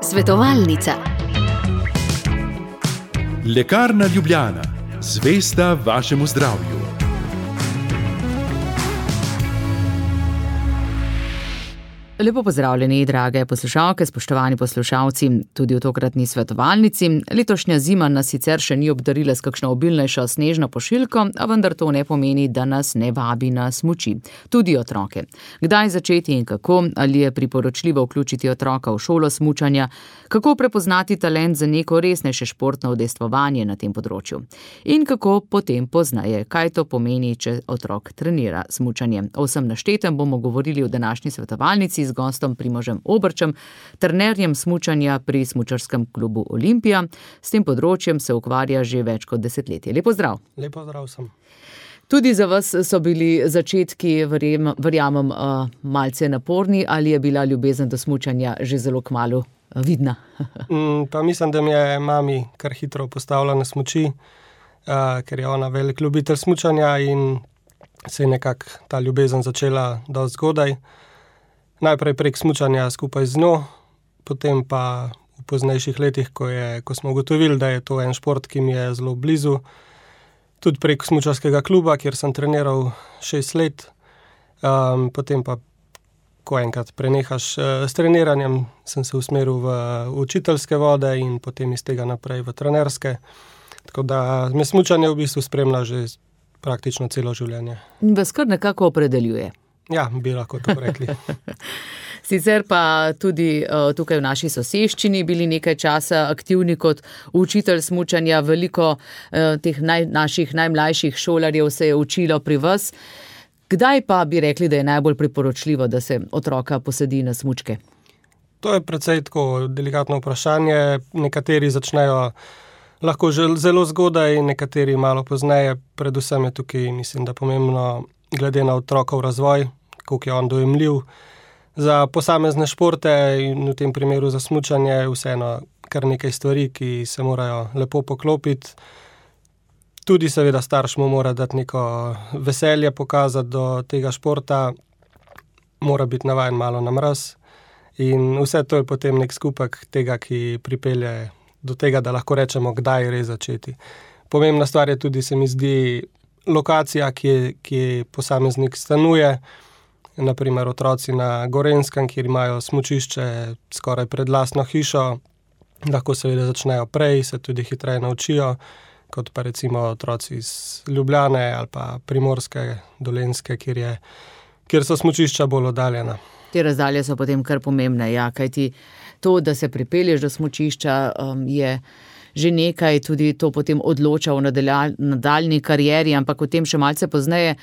Svetovalnica. Lekarna Ljubljana, zvesta vašemu zdravju. Lepo pozdravljeni, drage poslušalke, spoštovani poslušalci, tudi v tokratni svetovalnici. Letošnja zima nas sicer še ni obdarila s kakšno obilnejšo snežno pošiljko, a vendar to ne pomeni, da nas ne vabi na smuči. Tudi otroke. Kdaj začeti in kako, ali je priporočljivo vključiti otroka v šolo smučanja, kako prepoznati talent za neko resnejše športno udejstvovanje na tem področju. In kako potem pozneje, kaj to pomeni, če otrok trenira smučanje. O vsem naštetem bomo govorili v današnji svetovalnici z gostom Primožem Obrčem, trenerjem smučanja pri Smučarskem klubu Olimpija. S tem področjem se ukvarja že več kot desetletje. Lep pozdrav. Lep pozdrav sem. Tudi za vas so bili začetki, verjamem, malce naporni, ali je bila ljubezen do smučanja že zelo kmalu vidna? Pa mislim, da mi je mami kar hitro postavila na smuči, ker je ona velik ljubitelj smučanja in se je nekako ta ljubezen začela dosti zgodaj. Najprej prek smučanja skupaj z njo, potem pa v poznejših letih, ko smo ugotovili, da je to en šport, ki mi je zelo blizu, tudi prek smučarskega kluba, kjer sem treniral 6 let. Potem pa, ko enkrat prenehaš s treniranjem, sem se usmeril v učiteljske vode in potem iz tega naprej v trenerske. Tako da me smučanje v bistvu spremlja že praktično celo življenje. Vas kar nekako opredeljuje. Ja, bi lahko to rekli. Sicer pa tudi tukaj v naši soseščini bili nekaj časa aktivni kot učitelj smučanja. Veliko teh naših najmlajših šolarjev se je učilo pri vas. Kdaj pa bi rekli, da je najbolj priporočljivo, da se otroka posadi na smučke? To je precej tako delikatno vprašanje. Nekateri začnejo lahko že zelo zgodaj, nekateri malo pozneje. Predvsem je tukaj, mislim, da pomembno glede na otrokov razvoj, koliko je on dojemljiv. Za posamezne športe in v tem primeru za smučanje vseeno kar nekaj stvari, ki se morajo lepo poklopiti. Tudi seveda starš mu mora dati neko veselje pokazati do tega športa, mora biti navajen malo na mraz in vse to je potem nek skupek tega, ki pripelje do tega, da lahko rečemo, kdaj res začeti. Pomembna stvar je tudi, se mi zdi, lokacija, ki posameznik stanuje, naprimer otroci na Gorenjskem, kjer imajo smučišče skoraj pred lastno hišo, lahko seveda začnejo prej, se tudi hitreje naučijo, kot pa recimo otroci iz Ljubljane ali pa Primorske, Dolenjske, kjer so smučišča bolj oddaljena. Te razdalje so potem kar pomembne, ja, kajti to, da se pripelješ do smučišča, je že nekaj, tudi to potem odloča v nadaljnji karieri, ampak o tem še malce pozneje.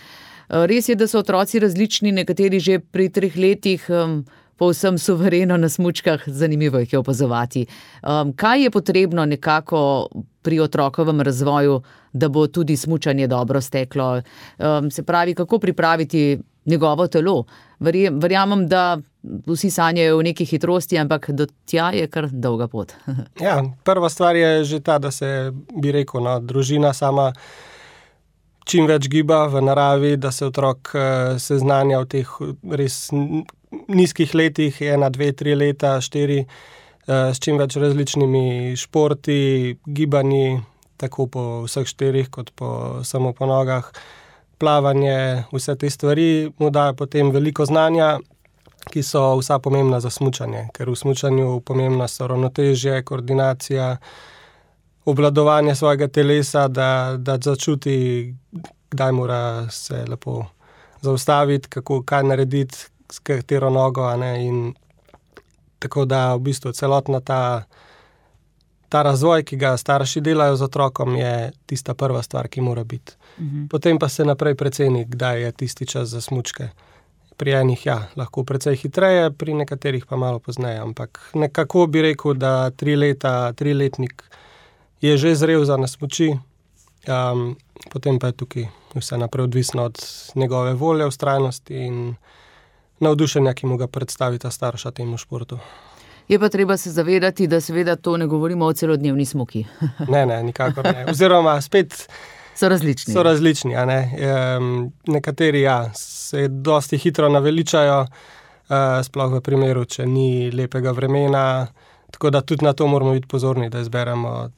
Res je, da so otroci različni, nekateri že pri 3 letih povsem suvereno na smučkah, zanimivo jih je opazovati. Kaj je potrebno nekako pri otrokovem razvoju, da bo tudi smučanje dobro steklo? Se pravi, kako pripraviti njegovo telo? Verjamem, da vsi sanjajo v neki hitrosti, ampak do tja je kar dolga pot. Ja, prva stvar je že ta, da se, bi rekel, družina sama čim več giba v naravi, da se otrok seznanja v teh res nizkih letih, 1, 2, 3 leta, 4, s čim več različnimi športi, gibanji, tako po vseh 4, kot samo po nogah, plavanje, vse te stvari mu dajo potem veliko znanja, ki so vsa pomembna za smučanje, ker v smučanju pomembna so ravnotežje, koordinacija, obvladovanje svojega telesa, da začuti, kdaj mora se lepo zaustaviti, kaj narediti, s katero nogo, in tako da v bistvu celotna ta razvoj, ki ga starši delajo z otrokom, je tista prva stvar, ki mora biti. Potem pa se naprej preceni, kdaj je tisti čas za smučke. Pri enih, lahko precej hitreje, pri nekaterih pa malo pozneje, ampak nekako bi rekel, da 3-letnik je že zrel za na smuči, potem pa je tukaj vse naprej odvisno od njegove volje, vztrajnosti in navdušenja, ki mu ga predstavi ta starša temu športu. Je pa treba se zavedati, da seveda to ne govorimo o celodnevni smuki. Ne, nikakor ne. Oziroma spet so različni. So različni, Nekateri, se dosti hitro naveličajo, sploh v primeru, če ni lepega vremena. Tako da tudi na to moramo biti pozorni, da izberemo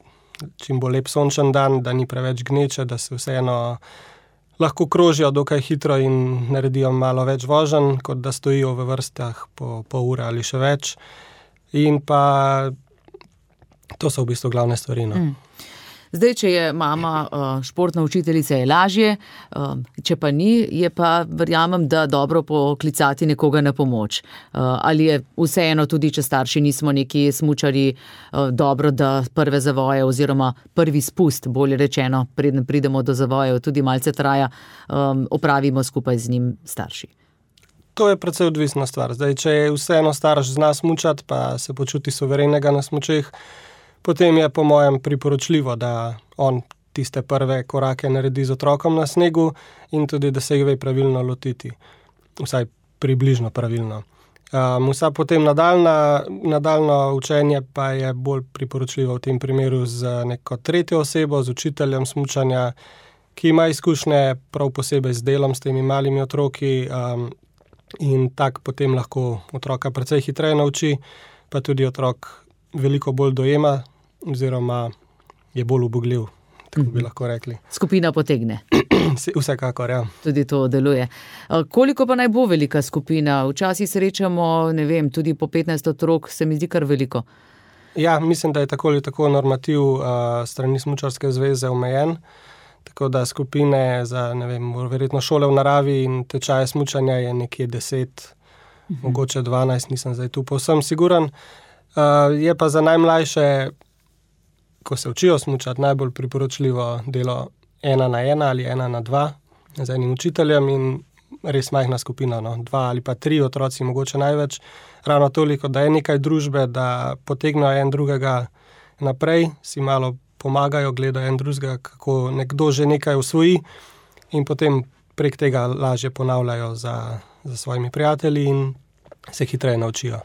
čim bolj lep sončen dan, da ni preveč gneče, da se vseeno lahko krožijo dokaj hitro in naredijo malo več voženj, kot da stojijo v vrstah po pol ure ali še več. In pa to so v bistvu glavne stvari. Zdaj, če je mama športna učiteljica, je lažje, če pa ni, je pa, verjamem, da dobro poklicati nekoga na pomoč. Ali je vseeno tudi, če starši nismo neki smučarji, dobro, da prve zavoje oziroma prvi spust, bolje rečeno, preden pridemo do zavojev, tudi malce traja, opravimo skupaj z njim starši. To je precej odvisna stvar. Zdaj, če je vseeno starš zna smučati, pa se počuti suverenega na smučeh, potem je po mojem priporočljivo, da on tiste prve korake naredi z otrokom na snegu in tudi, da se jih ve pravilno lotiti. Vsaj približno pravilno. Vsa potem nadaljno učenje pa je bolj priporočljivo v tem primeru z neko tretjo osebo, z učiteljem smučanja, ki ima izkušnje prav posebej z delom s temi malimi otroki in tak potem lahko otroka precej hitreje nauči, pa tudi otrok veliko bolj dojema oziroma je bolj ubogljiv, tako bi lahko rekli. Skupina potegne. Vsekakor, ja. Tudi to deluje. Koliko pa naj bo velika skupina? Včasih srečamo, ne vem, tudi po 15 otrok, se mi zdi kar veliko. Ja, mislim, da je tako ali tako normativ strani Smučarske zveze omejen, tako da skupine za, ne vem, verjetno šole v naravi in tečaje smučanja je nekje 10, mogoče 12, nisem zdaj tu povsem siguran. Je pa za najmlajše, ko se učijo smučati, najbolj priporočljivo delo 1-na-1 ali 1-na-2 z enim učiteljem in res majhna skupina, 2 ali pa 3 otroci, mogoče največ, ravno toliko, da je nekaj družbe, da potegnejo en drugega naprej, si malo pomagajo, gledajo en drugega, kako nekdo že nekaj usvoji in potem prek tega lažje ponavljajo za svojimi prijatelji in se hitreje naučijo.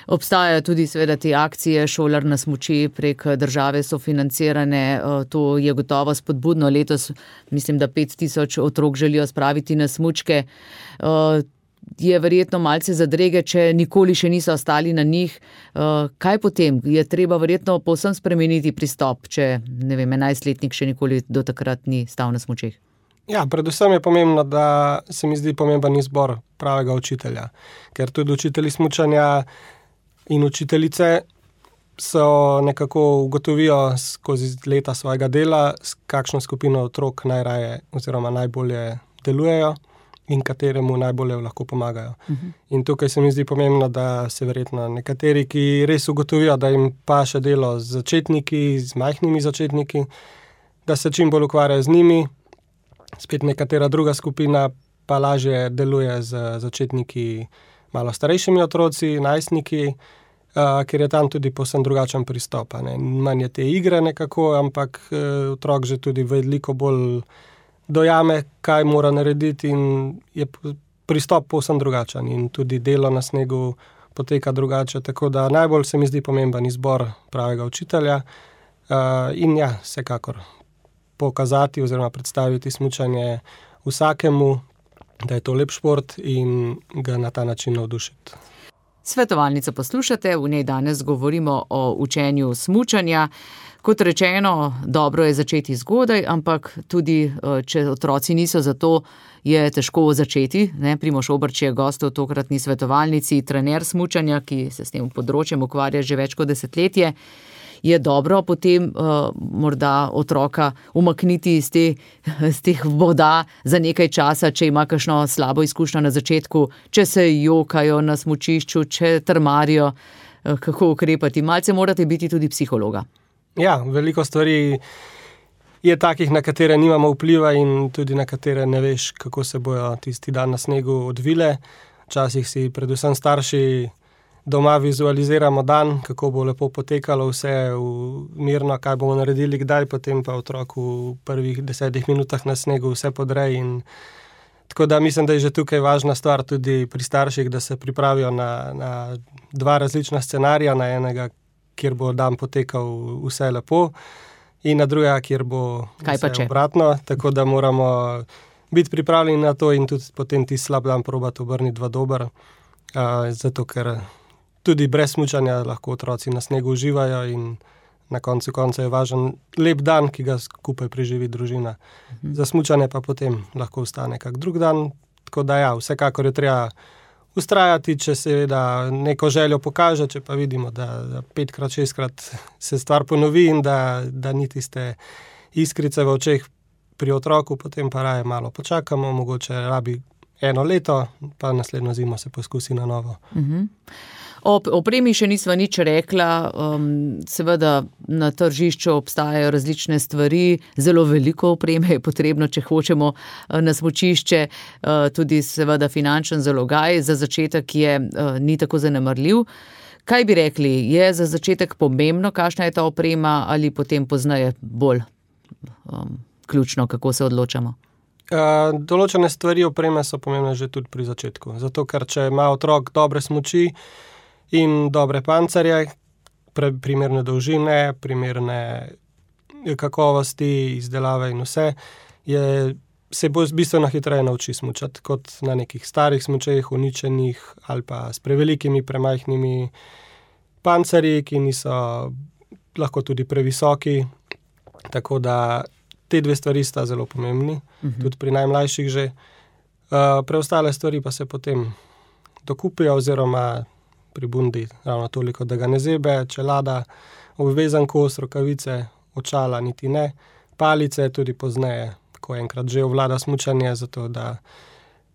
Obstajajo tudi seveda te akcije Šolar na smuči, prek države so financirane, to je gotovo spodbudno. Letos mislim, da 5000 otrok želijo spraviti na smučke. Je verjetno malce zadrege, če nikoli še niso ostali na njih. Kaj potem? Je treba verjetno povsem spremeniti pristop, če, ne vem, 11-letnik še nikoli do takrat ni stal na smučeh? Ja, predvsem je pomembno, da se mi zdi pomemben izbor pravega učitelja, ker tudi učitelji smučanja in učiteljice so nekako ugotovijo skozi leta svojega dela, s kakšno skupino otrok najraje oziroma najbolje delujejo in kateremu najbolje lahko pomagajo. In tukaj se mi zdi pomembno, da se verjetno nekateri, ki res ugotovijo, da jim paše delo z začetniki, z majhnimi začetniki, da se čim bolj ukvarjajo z njimi. Spet nekatera druga skupina pa lažje deluje z začetniki, malo starejšimi otroci, najstniki, ker je tam tudi povsem drugačen pristop. Manj je te igre nekako, ampak otrok že tudi veliko bolj dojame, kaj mora narediti in je pristop povsem drugačen in tudi delo na snegu poteka drugače, tako da najbolj se mi zdi pomemben izbor pravega učitelja in ja, vsekakor pokazati oziroma predstaviti smučanje vsakemu, da je to lep šport in ga na ta način navdušiti. Svetovalnico poslušate, v njej danes govorimo o učenju smučanja. Kot rečeno, dobro je začeti zgodaj, ampak tudi, če otroci niso za to, je težko začeti. Primož Obrč je gost v tokratni svetovalnici, trener smučanja, ki se s tem področjem ukvarja že več kot desetletje. Je dobro potem morda otroka umakniti iz teh voda za nekaj časa, če ima kakšno slabo izkušnjo na začetku, če se jokajo na smučišču, če trmarijo, kako ukrepati. Malce morate biti tudi psihologa. Ja, veliko stvari je takih, na katere nimamo vpliva in tudi na katere ne veš, kako se bojo tisti dan na snegu odvile. Včasih si predvsem starši doma vizualiziramo dan, kako bo lepo potekalo vse mirno, kaj bomo naredili, kdaj, potem pa otrok v prvih 10 minutah na snegu vse podrej. Tako da mislim, da je že tukaj važna stvar tudi pri starših, da se pripravijo na 2 različna scenarija, na enega, kjer bo dan potekal vse lepo in na drugega, kjer bo vse obratno, tako da moramo biti pripravljeni na to in tudi potem ti slab dan probati obrniti v dober. Zato, ker tudi brez smučanja lahko otroci na snegu uživajo in na koncu konca je važen lep dan, ki ga skupaj preživi družina. Za smučanje pa potem lahko ostane kak drug dan. Tako da ja, vsekakor je treba vztrajati, če seveda neko željo pokaže, če pa vidimo, da 5-krat, 6-krat se stvar ponovi in da ni tiste iskrice v očeh pri otroku, potem pa raje malo počakamo, mogoče rabi 1 leto, pa naslednjo zimo se poskusi na novo. O opremi še nisva nič rekla, seveda na tržišču obstajajo različne stvari, zelo veliko opreme je potrebno, če hočemo na smučišče, tudi seveda finančen zalogaj, za začetek ni tako zanemarljiv. Kaj bi rekli, je za začetek pomembno, kakšna je ta oprema ali potem pozneje bolj ključno, kako se odločamo? Določene stvari opreme so pomembne že tudi pri začetku, zato ker če ima otrok dobre smuči in dobre pancerje, primerne dolžine, primerne kakovosti, izdelave in vse, se bo bistveno hitreje nauči smučati, kot na nekih starih smučeh, uničenih ali pa s prevelikimi, premajhnimi pancerji, ki niso lahko tudi previsoki, tako da te 2 stvari sta zelo pomembni, tudi pri najmlajših že. Preostale stvari pa se potem dokupijo oziroma pri bundi ravno toliko, da ga ne zebe, čelada, obvezan kos, rokavice, očala niti ne, palice tudi pozneje, ko enkrat že ovlada smučanje, zato da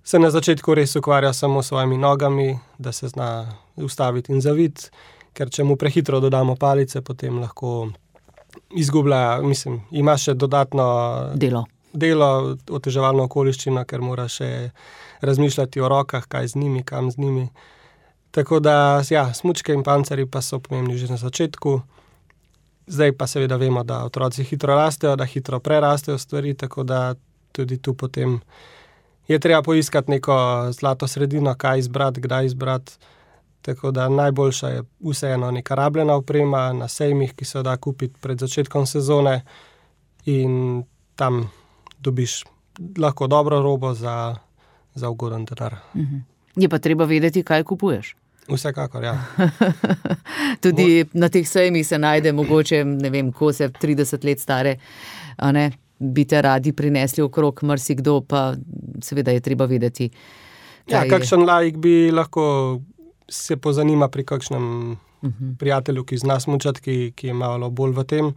se na začetku res ukvarja samo s svojimi nogami, da se zna ustaviti in zaviti, ker če mu prehitro dodamo palice, potem lahko izgublja, ima še dodatno delo, oteževalno okoliščino, ker mora še razmišljati o rokah, kaj z njimi, kam z njimi. Tako da, ja, smučke in pancerji pa so pomembni že na začetku. Zdaj pa seveda vemo, da otroci hitro rastejo, da hitro prerastejo stvari, tako da tudi tu potem je treba poiskati neko zlato sredino, kaj izbrati, kdaj izbrati. Tako da najboljša je vseeno neka rabljena oprema na sejmih, ki se da kupiti pred začetkom sezone in tam dobiš lahko dobro robo za ugoden denar. Je pa treba vedeti, kaj kupuješ. Vsekakor, ja. Tudi na teh sejmih se najde mogoče, ne vem, kose 30 let stare, a ne, bi te radi prinesli okrog marsikdo, pa seveda je treba vedeti, kaj je. Kakšen laik bi lahko se pozanima pri kakšnem prijatelju, ki zna smučati, ki je malo bolj v tem,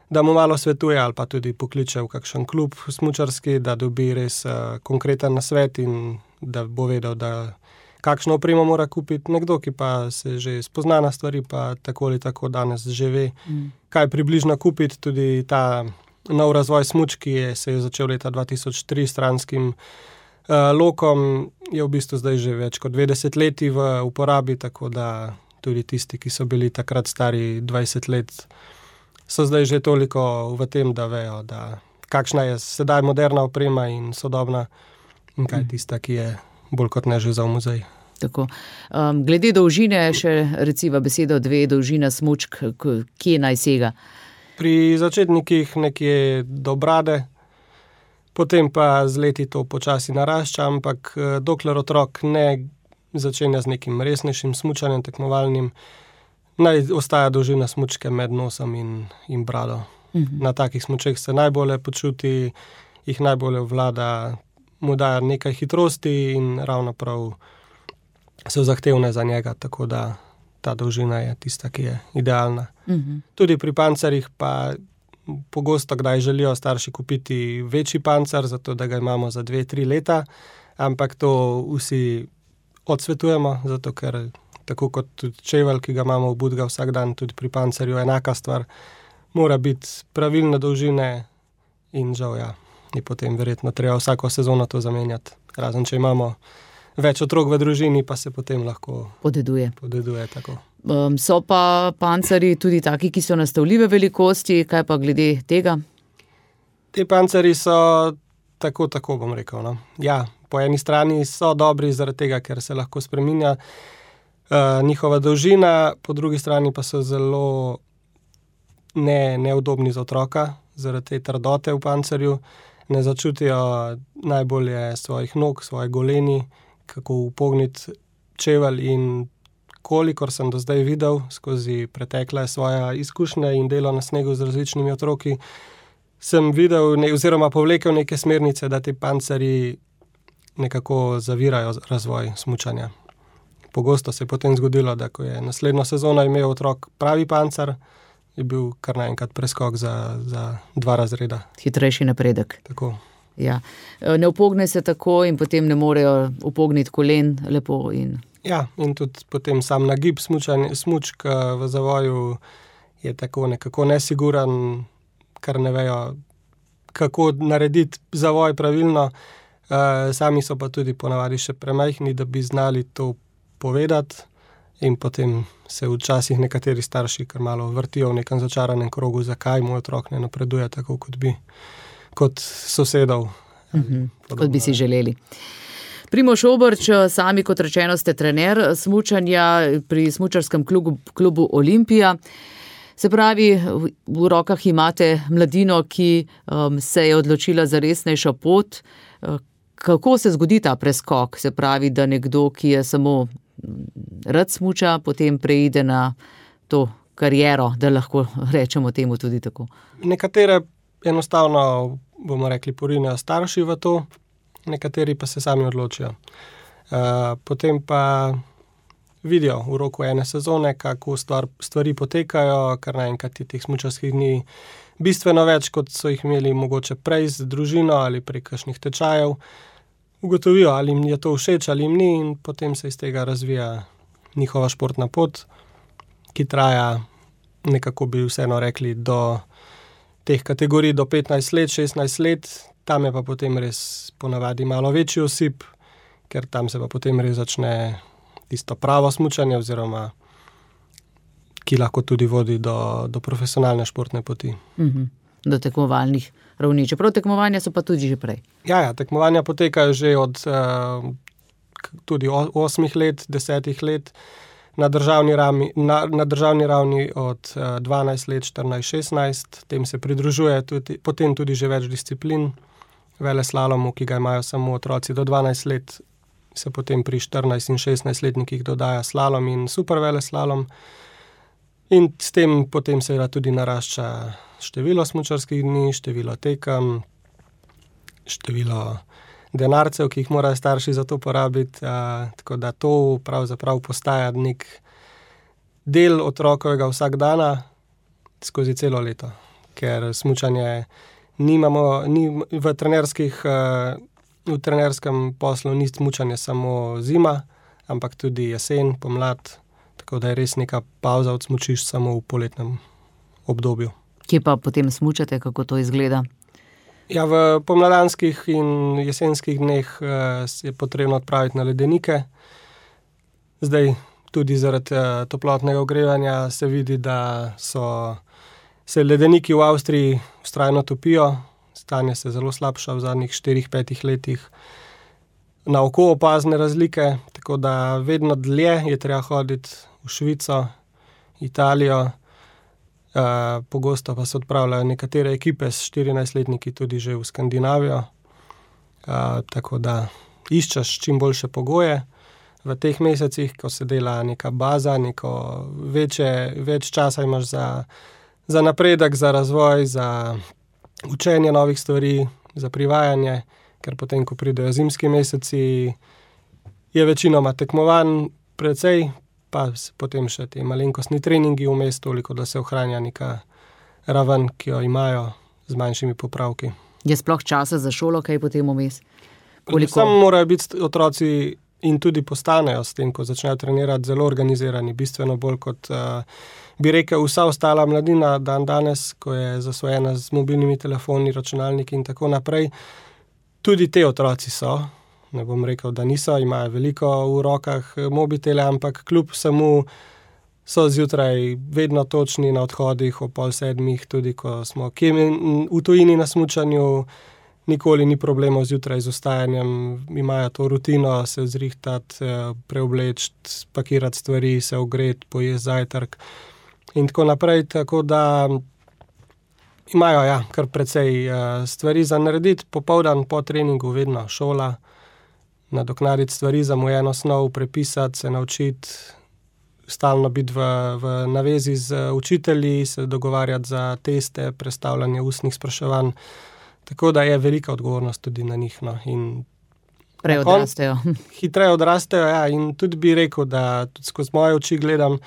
da mu malo svetuje ali pa tudi pokliče v kakšen klub smučarski, da dobi res konkreten nasvet in da bo vedel, da kakšno opremo mora kupiti. Nekdo, ki pa se že spozna na stvari, pa tako ali tako danes že ve, kaj približno kupiti. Tudi ta nov razvoj smučk, ki se je začel leta 2003 s stranskim lokom, je v bistvu zdaj že več kot 20 leti v uporabi, tako da tudi tisti, ki so bili takrat stari 20 let, so zdaj že toliko v tem, da vejo, da kakšna je sedaj moderna oprema in sodobna in kaj je tista, ki je bolj kot ne že za v muzej. Tako. Glede dolžine še reciva besedo 2, dolžina smučk, kje naj sega? Pri začetnikih nekje do brade, potem pa z leti to počasi narašča, ampak dokler otrok ne začenja z nekim resnejšim smučanjem tekmovalnim, naj ostaja dolžina smučke med nosom in brado. Na takih smučeh se najbolje počuti, jih najbolje vlada, mu daje nekaj hitrosti in ravno prav so zahtevne za njega, tako da ta dolžina je tista, ki je idealna. Tudi pri pancerjih pa pogosto kdaj želijo starši kupiti večji pancer, zato da ga imamo za 2-3 leta, ampak to vsi odsvetujemo, zato ker tako kot tudi čevelj, ki ga imamo v Budga vsak dan, tudi pri pancerju enaka stvar, mora biti pravilne dolžine in žal, ja, je potem verjetno treba vsako sezono to zamenjati. Razen, če imamo več otrok v družini, pa se potem lahko podeduje tako. So pa pancerji tudi taki, ki so nastavljive velikosti, kaj pa glede tega? Te pancerji so tako bom rekel, no. Ja, po eni strani so dobri zaradi tega, ker se lahko spreminja njihova dolžina, po drugi strani pa so zelo neudobni za otroka, zaradi te trdote v pancerju. Ne začutijo najbolje svojih nog, svoje goleni, kako upogniti čevelj in kolikor sem do zdaj videl skozi pretekle svoje izkušnje in delo na snegu z različnimi otroki, sem videl oziroma povlekel neke smernice, da ti pancerji nekako zavirajo razvoj smučanja. Pogosto se je potem zgodilo, da ko je naslednjo sezono imel otrok pravi pancer, je bil kar naenkrat preskok za 2 razreda. Hitrejši napredek. Tako. Ja. Ne upogne se tako in potem ne morejo upogniti kolen lepo. Ja, in tudi potem sam nagib smučk v zavoju je tako nekako nesiguran, kar ne vejo, kako narediti zavoj pravilno. Sami so pa tudi ponavadi še premajhni, da bi znali to povedati, in potem se včasih nekateri starši kar malo vrtijo v nekem začaranem krogu, zakaj moj otrok ne napreduje tako, kot sosedov. Kot bi si želeli. Primož Obrč, sami kot rečeno ste trener smučanja pri smučarskem klubu Olimpija. Se pravi, v rokah imate mladino, ki se je odločila za resnejšo pot. Kako se zgodi ta preskok? Se pravi, da nekdo, ki je samo rad smuča, potem preide na to kariero, da lahko rečemo temu tudi tako. Nekatere enostavno, bomo rekli, porinejo starši v to, nekateri pa se sami odločijo. Potem pa vidijo v roku ene sezone, kako stvari potekajo, kar naenkrat je teh smučarskih dni bistveno več, kot so jih imeli mogoče prej z družino ali prek kakšnih tečajev. Ugotovijo, ali jim je to všeč ali jim ni, in potem se iz tega razvija njihova športna pot, ki traja, nekako bi vseeno rekli, do teh kategorij do 15 let, 16 let. Tam je pa potem res ponavadi malo večji osip, ker tam se pa potem res začne tisto pravo smučanje, oziroma ki lahko tudi vodi do profesionalne športne poti. Do tekmovalnih ravni. Čeprav tekmovanja so pa tudi že prej. Ja, tekmovanja potekajo že od tudi 8 let, 10 let, na državni ravni od 12 let, 14, 16. Tem se pridružuje potem tudi že več disciplin. Veleslalomu, ki ga imajo samo otroci do 12 let, se potem pri 14 in 16 letnikih dodaja slalom in super veleslalom. In s tem potem seveda tudi narašča število smučarskih dni, število tekem, število denarcev, ki jih morajo starši za to porabiti. Tako da to pravzaprav postaja nek del otrokovega vsakdana skozi celo leto. Ker smučanje v trenerskem poslu ni smučanje samo zima, ampak tudi jesen, pomlad. Tako da je res neka pavza od smučišč samo v poletnem obdobju. Kje pa potem smučate, kako to izgleda? Ja, v pomladanskih in jesenskih dneh je potrebno odpraviti na ledenike. Zdaj tudi zaradi toplotnega ogrevanja se vidi, da se ledeniki v Avstriji vztrajno topijo. Stanje se zelo slabša v zadnjih 4-5 letih. Na oko opazne razlike, tako da vedno dlje je treba hoditi v Švico, Italijo. Pogosto pa se odpravljajo nekatere ekipe s 14-letniki tudi že v Skandinavijo. Tako da iščeš čim boljše pogoje v teh mesecih, ko se dela neka baza, več časa imaš za napredek, za razvoj, za učenje novih stvari, za privajanje, ker potem, ko pridejo zimski meseci, je večinoma tekmovanj precej, pa potem še te malenkostni treningi vmes, toliko, da se ohranja neka raven, ki jo imajo z manjšimi popravki. Je sploh časa za šolo, kaj potem vmes? Samo morajo biti otroci in tudi postanejo s tem, ko začnejo trenirati, zelo organizirani, bistveno bolj kot bi rekel vsa ostala mladina danes, ko je zasvojena z mobilnimi telefoni, računalniki in tako naprej. Tudi te otroci so, ne bom rekel, da niso, imajo veliko v rokah mobitele, ampak kljub vsemu so zjutraj vedno točni na odhodih ob 6:30, tudi ko smo v tujini na smučanju, nikoli ni problemov zjutraj z vstajanjem, imajo to rutino, se zrihtati, preobleči, spakirati stvari, se ogreti, pojesti zajtrk in tako naprej, tako da imajo kar precej stvari za narediti. Popoldan po treningu vedno šola, nadoknaditi stvari, zamujeno snov, prepisati, se naučiti, stalno biti v navezi z učitelji, se dogovarjati za teste, prestavljanje ustnih spraševanj. Tako da je velika odgovornost tudi na njih. No. Prej odrastejo. Hitreje odrastejo, ja, in tudi bi rekel, da tudi skozi moje oči gledam,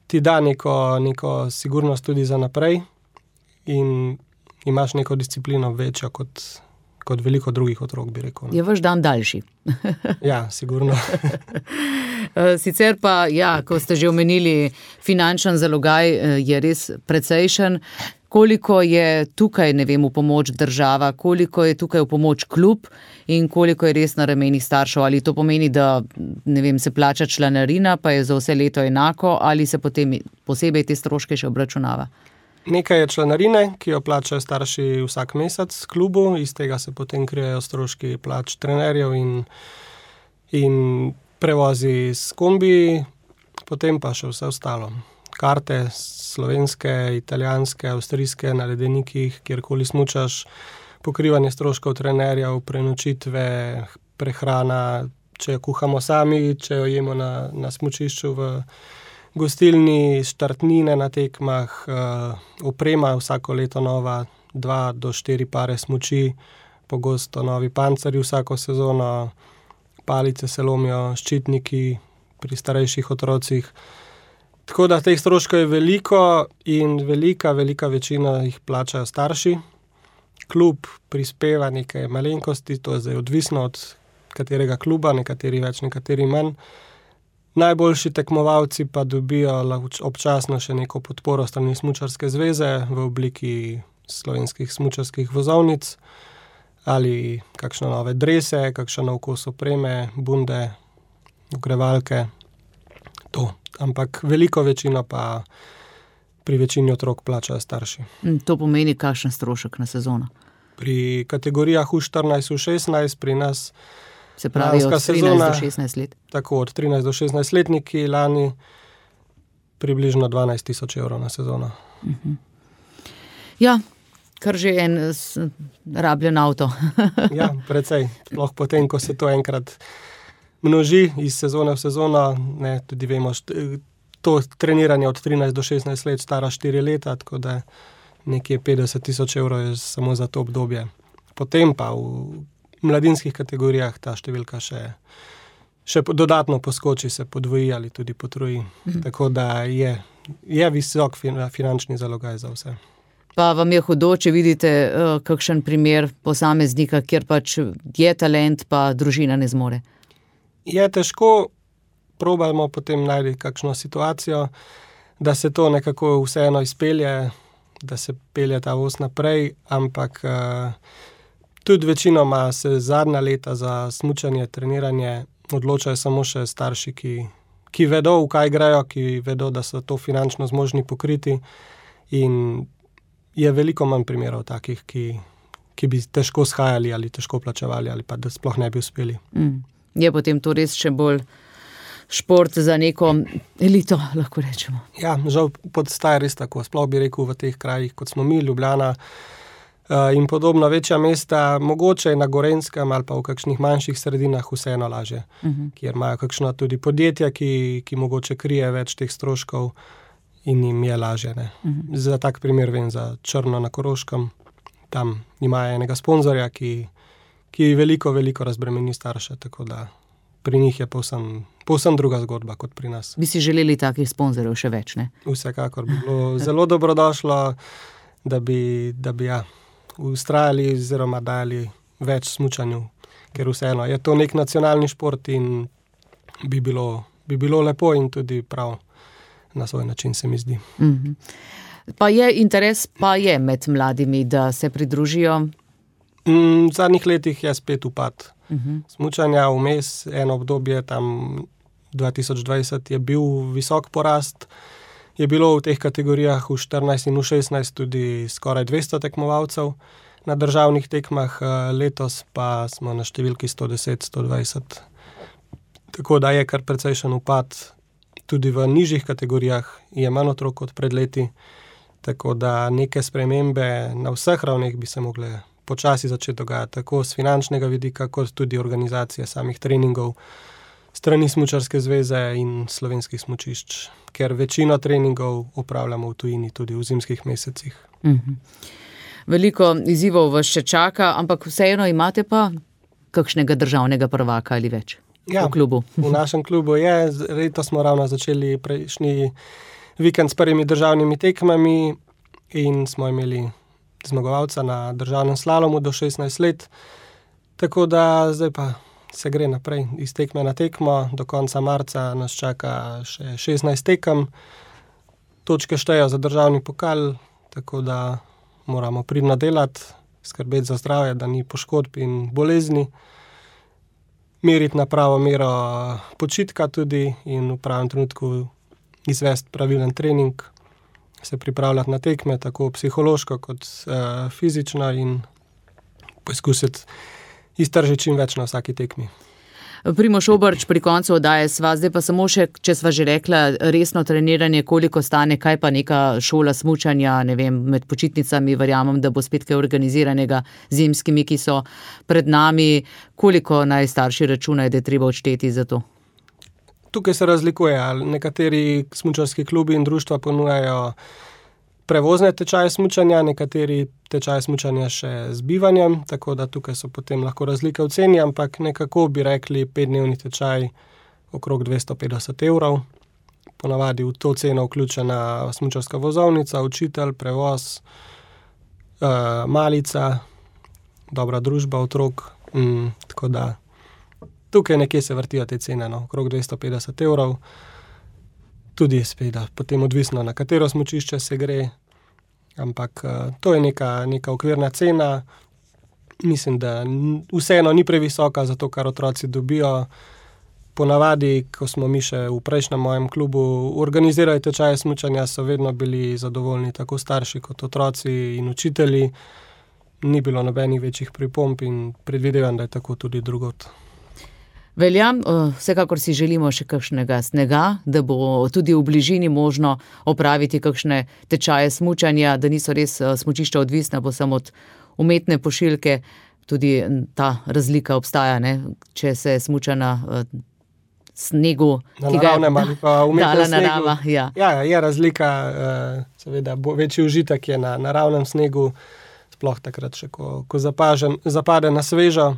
ti da neko sigurnost tudi za naprej in imaš neko disciplino večjo kot veliko drugih otrok, bi rekel. Je vaš dan daljši. Ja, sigurno. Sicer pa, ja, ko ste že omenili, finančen zalogaj je res precejšen. Koliko je tukaj, ne vem, v pomoč država, koliko je tukaj v pomoč klub in koliko je res na ramenih staršev? Ali to pomeni, da, ne vem, se plača članarina, pa je za vse leto enako, ali se potem posebej te stroške še obračunava? Nekaj je članarine, ki jo plačajo starši vsak mesec klubu, iz tega se potem krijejo stroški plač trenerjev in prevozi s kombi, potem pa še vse ostalo. Karte slovenske, italijanske, avstrijske, na ledenikih, kjerkoli smučaš, pokrivanje stroškov trenerjev, prenočitve, prehrana, če jo kuhamo sami, če jo jemo na smučišču v gostilni, štartnine na tekmah, oprema vsako leto nova, 2 do 4 pare smuči, pogosto novi pancerji vsako sezono, palice se lomijo, ščitniki pri starejših otrocih. Tako da teh stroškov je veliko in velika večina jih plačajo starši. Klub prispeva nekaj malenkosti, to je zdaj odvisno od katerega kluba, nekateri več, nekateri manj. Najboljši tekmovalci pa dobijo občasno še neko podporo strani Smučarske zveze v obliki slovenskih smučarskih vozovnic ali kakšne nove drese, kakšen nov kos opreme, bunde, ogrevalke, to. Ampak veliko večino pa pri večini otrok plačajo starši. To pomeni kakšen strošek na sezono? Pri kategorijah U14, U16 pri nas se pravi od 13 do 16 let. Tako, od 13 do 16 letniki lani približno 12 000 evrov na sezono. Ja, kar že en rabljen avto. Ja, precej. Sploh potem, ko se to enkrat množi iz sezone v sezono, ne, tudi vemo, to treniranje od 13 do 16 let stara 4 leta, tako da nekje 50 000 evrov je samo za to obdobje. Potem pa v mladinskih kategorijah ta številka še dodatno poskoči, se podvoji ali tudi potroji. Tako da je visok finančni zalogaj za vse. Pa vam je hudo, če vidite kakšen primer posameznika, kjer pač je talent, pa družina ne zmore? Je težko, probamo potem najti kakšno situacijo, da se to nekako vseeno izpelje, da se pelje ta voz naprej, ampak tudi večinoma se zadnja leta za smučanje, treniranje odločajo samo še starši, ki vedo, v kaj grejo, ki vedo, da so to finančno zmožni pokriti, in je veliko manj primerov takih, ki bi težko shajali ali težko plačevali ali pa da sploh ne bi uspeli. Je potem to res še bolj šport za neko elito, lahko rečemo. Ja, žal postaja res tako. Sploh bi rekel v teh krajih, kot smo mi, Ljubljana in podobno večja mesta, mogoče na Gorenjskem ali pa v kakšnih manjših sredinah vseeno lažje, kjer imajo kakšno tudi podjetja, ki mogoče krije več teh stroškov in jim je lažje. Za tak primer vem za Črno na Koroškem. Tam imajo enega sponzorja, ki veliko razbremeni starše, tako da pri njih je povsem druga zgodba kot pri nas. Bi si želeli takih sponzorjev še več, ne? Vsekakor bi bilo zelo dobrodošlo, da bi ustrajali oziroma dali več smučanju, ker vseeno je to nek nacionalni šport in bi bilo lepo in tudi prav na svoj način, se mi zdi. Pa je interes, pa je med mladimi, da se pridružijo? V zadnjih letih je spet upad smučanja, vmes eno obdobje, tam 2020 je bil visok porast, je bilo v teh kategorijah v 14 in v 16 tudi skoraj 200 tekmovalcev na državnih tekmah, letos pa smo na številki 110-120. Tako da je kar precejšen upad, tudi v nižjih kategorijah je manj otrok kot pred leti, tako da neke spremembe na vseh ravneh bi se mogle počasi začeti dogajati, tako z finančnega vidika, kot tudi organizacije samih treningov, strani Smučarske zveze in slovenskih smučišč, ker večino treningov opravljamo v tujini, tudi v zimskih mesecih. Veliko izzivov vas še čaka, ampak vseeno imate pa kakšnega državnega prvaka ali več v klubu? V našem klubu je, letos smo ravno začeli prejšnji vikend s prvimi državnimi tekmami in smo imeli zmagovalca na državnem slalomu do 16 let, tako da zdaj pa se gre naprej iz tekme na tekmo. Do konca marca nas čaka še 16 tekem, točke štejo za državni pokal, tako da moramo pridno delati, skrbeti za zdravje, da ni poškodb in bolezni, meriti na pravo mero počitka tudi in v pravem trenutku izvesti pravilen trening, se pripravljati na tekme, tako psihološko kot fizično in poskusiti iztržiti čim več na vsaki tekmi. Primož Obrč, pri koncu oddaje sva, zdaj pa samo še, če sva že rekla, resno treniranje, koliko stane, kaj pa neka šola smučanja, ne vem, med počitnicami, verjamem, da bo spet kaj organiziranega zimskimi, ki so pred nami, koliko naj starši računajo, da je treba odšteti za to? Tukaj se razlikuje, nekateri smučarski klubi in društva ponujajo prevozne tečaje smučanja, nekateri tečaje smučanja še z bivanjem, tako da tukaj so potem lahko razlike v ceni, ampak nekako bi rekli 5-dnevni tečaj okrog 250 €. Ponavadi v to ceno vključena smučarska vozovnica, učitelj, prevoz, malica, dobra družba otrok, tako da tukaj nekje se vrtijo te cene, okrog 250 €. Tudi seveda potem odvisno, na katero smučišče se gre, ampak to je neka okvirna cena. Mislim, da vseeno ni previsoka za to, kar otroci dobijo. Ponavadi, ko smo mi še v prejšnjem mojem klubu organizirali tečaje smučanja, so vedno bili zadovoljni tako starši kot otroci in učitelji. Ni bilo nobenih večjih pripomb in predvidevam, da je tako tudi drugod. Velja, vsekakor si želimo še kakšnega snega, da bo tudi v bližini možno opraviti kakšne tečaje smučanja, da niso res smučišča odvisna posem od umetne pošiljke. Tudi ta razlika obstaja, ne? Če se smuča na snegu, ki ga je dala narava. Ja, je razlika, seveda večji užitek je na naravnem snegu, sploh takrat še, ko zapade na svežo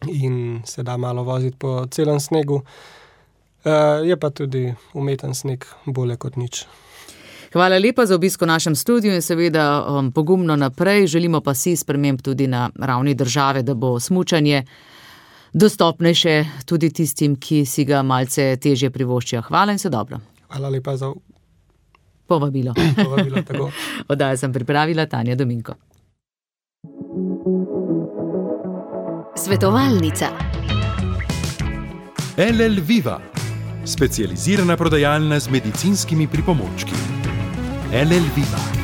in se da malo voziti po celem snegu. Je pa tudi umeten sneg bolje kot nič. Hvala lepa za obisk v našem studiu in seveda pogumno naprej. Želimo pa si sprememb tudi na ravni države, da bo smučanje dostopnejše tudi tistim, ki si ga malce težje privoščijo. Hvala in vse dobro. Hvala lepa za povabilo. Tako. Oddajo sem pripravila Tanja Dominko. Svetovalnica. LL Viva, specializirana prodajalna z medicinskimi pripomočki. LL Viva.